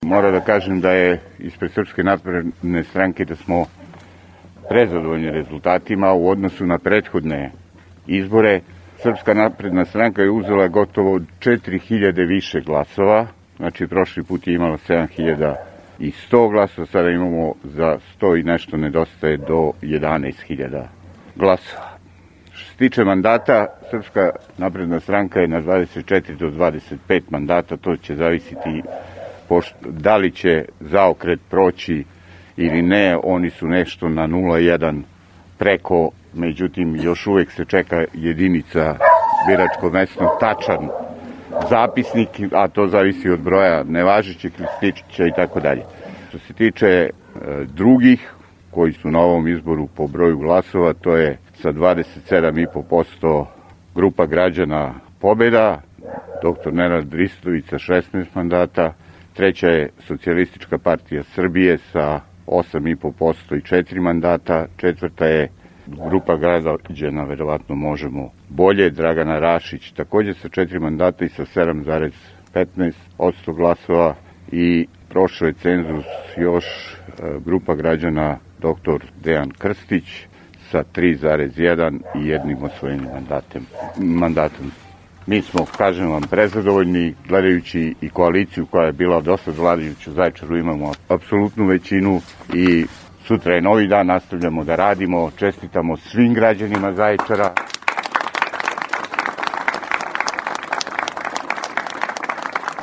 Moram da kažem da je ispred Srpske napredne stranke da smo prezadovoljni rezultatima u odnosu na prethodne izbore. Srpska napredna stranka je uzela gotovo 4000 više glasova, znači prošli put je imala 7100 glasova, sada imamo za 100 i nešto nedostaje do 11.000 glasova. Što se tiče mandata, Srpska napredna stranka je na 24 do 25 mandata, to će zavisiti da li će zaokret proći ili ne, oni su nešto na 0,1 preko, međutim još uvek se čeka jedinica biračko mesno tačan zapisnik, a to zavisi od broja nevažećih listića i tako dalje. Što se tiče drugih koji su na ovom izboru po broju glasova, to je sa 27,5% grupa građana Pobeda, dr. Nenad Ristović sa 16 mandata, treća je Socijalistička partija Srbije sa 8,5% i 4 mandata, četvrta je grupa građana Verovatno možemo bolje, Dragana Rašić takođe sa 4 mandata i sa 7,15% glasova, i prošao je cenzus još grupa građana dr. Dejan Krstić sa 3,1 i jednim osvojenim mandatom. Mi smo, kažem vam, prezadovoljni, gledajući i koaliciju koja je bila dosta vladajuća u Zaječaru, imamo apsolutnu većinu i sutra je novi dan, nastavljamo da radimo, čestitamo svim građanima Zaječara.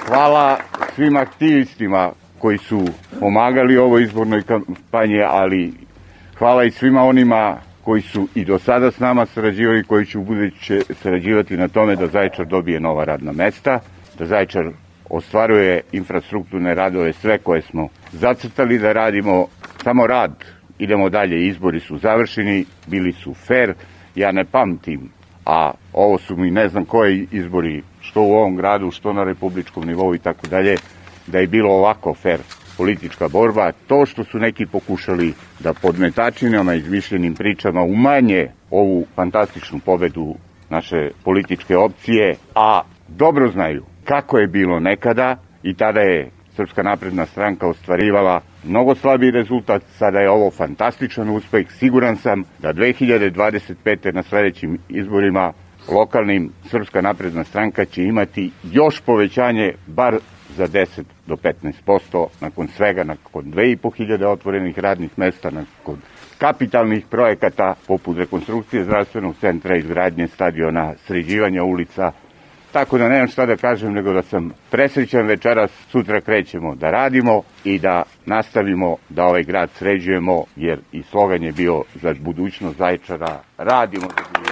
Hvala svim aktivistima koji su pomagali ovoj izbornoj kampanji, ali hvala i svima onima koji su i do sada s nama sarađivali, koji će ubuduće sarađivati na tome da Zaječar dobije nova radna mesta, da Zaječar ostvaruje infrastrukturne radove, sve koje smo zacrtali da radimo, samo rad, idemo dalje, izbori su završeni, bili su fair, ja ne pamtim, a ovo su mi ne znam koji izbori, što u ovom gradu, što na republičkom nivou i tako dalje, da je bilo ovako fair politička borba. To što su neki pokušali da podmetačinama i izmišljenim pričama umanje ovu fantastičnu pobedu naše političke opcije, a dobro znaju kako je bilo nekada i tada je Srpska napredna stranka ostvarivala mnogo slabiji rezultat, sada je ovo fantastičan uspeh. Siguran sam da 2025. na sledećim izborima lokalnim Srpska napredna stranka će imati još povećanje, bar za 10 do 15%, nakon svega, nakon 2500 otvorenih radnih mesta, nakon kapitalnih projekata poput rekonstrukcije zdravstvenog centra, izgradnje stadiona, sređivanja ulica. Tako da nemam šta da kažem nego da sam presrećan večeras, sutra krećemo da radimo i da nastavimo da ovaj grad sređujemo, jer i slogan je bio za budućnost Zaječara, radimo za budućnost.